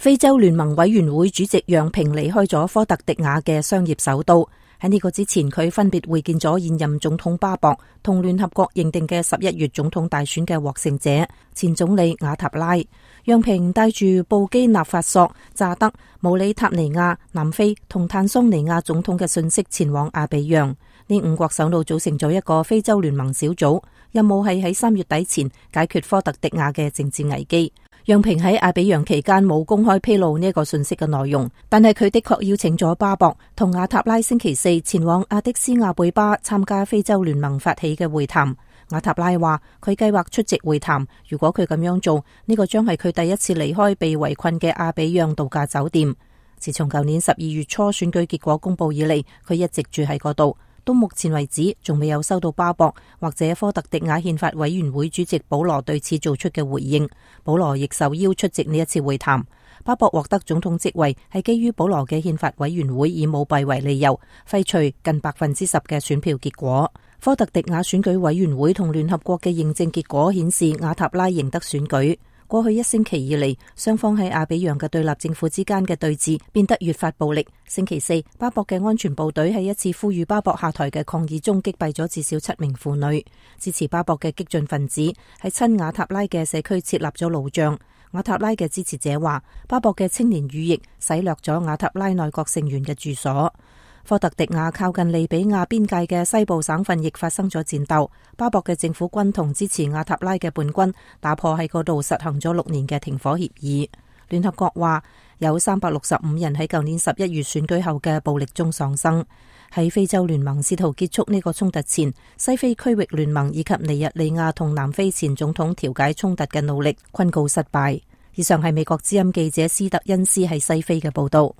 非洲聯盟委員會主席楊平離開咗科特迪瓦嘅商業首都。喺呢個之前，佢分別會見咗現任總統巴博同聯合國認定嘅11月總統大選嘅獲勝者前總理瓦塔拉。楊平帶住布基納法索、乍得、毛里塔尼亞、南非同坦桑尼亞總統嘅信息前往阿比揚。呢5國首腦組成咗一個非洲聯盟小組，任務係喺3月底前解決科特迪瓦嘅政治危機。楊平喺阿比揚期間冇公開披露呢個信息嘅內容，但係佢的確邀請咗巴博同瓦塔拉星期4前往阿迪斯亞貝巴參加非洲聯盟發起嘅會談。瓦塔拉話佢計劃出席會談，如果佢咁樣做，呢個將係佢第一次離開被圍困嘅阿比揚度假酒店。自從舊年12月初選舉結果公布以嚟，佢一直住喺嗰度。到目前為止，仲未有收到巴博或者科特迪瓦憲法委員會主席保羅對此做出嘅回應。保羅亦受邀出席呢一次會談。巴博獲得總統職位係基於保羅嘅憲法委員會以舞弊為理由廢除近10%嘅選票結果。科特迪瓦選舉委員會同聯合國嘅認證結果顯示瓦塔拉贏得選舉。過去1星期以嚟，雙方喺阿比揚嘅對立政府之間嘅對峙變得越發暴力。星期4，巴博嘅安全部隊喺一次呼籲巴博下台嘅抗議中擊斃咗至少7名婦女。支持巴博嘅激進分子喺親瓦塔拉嘅社區設立咗路障。瓦塔拉嘅支持者話，巴博嘅青年羽翼洗掠咗瓦塔拉內閣成員嘅住所。科特迪瓦靠近利比亞邊界嘅西部省份亦發生咗戰鬥。巴博嘅政府軍同支持瓦塔拉嘅叛軍打破喺嗰度實行咗6年嘅停火協議。聯合國話有365人喺舊年11月選舉後嘅暴力中喪生。喺非洲聯盟試圖結束呢個衝突前，西非區域聯盟以及尼日利亞同南非前總統調解衝突嘅努力均告失敗。以上係美國之音記者斯特恩斯喺西非嘅報道。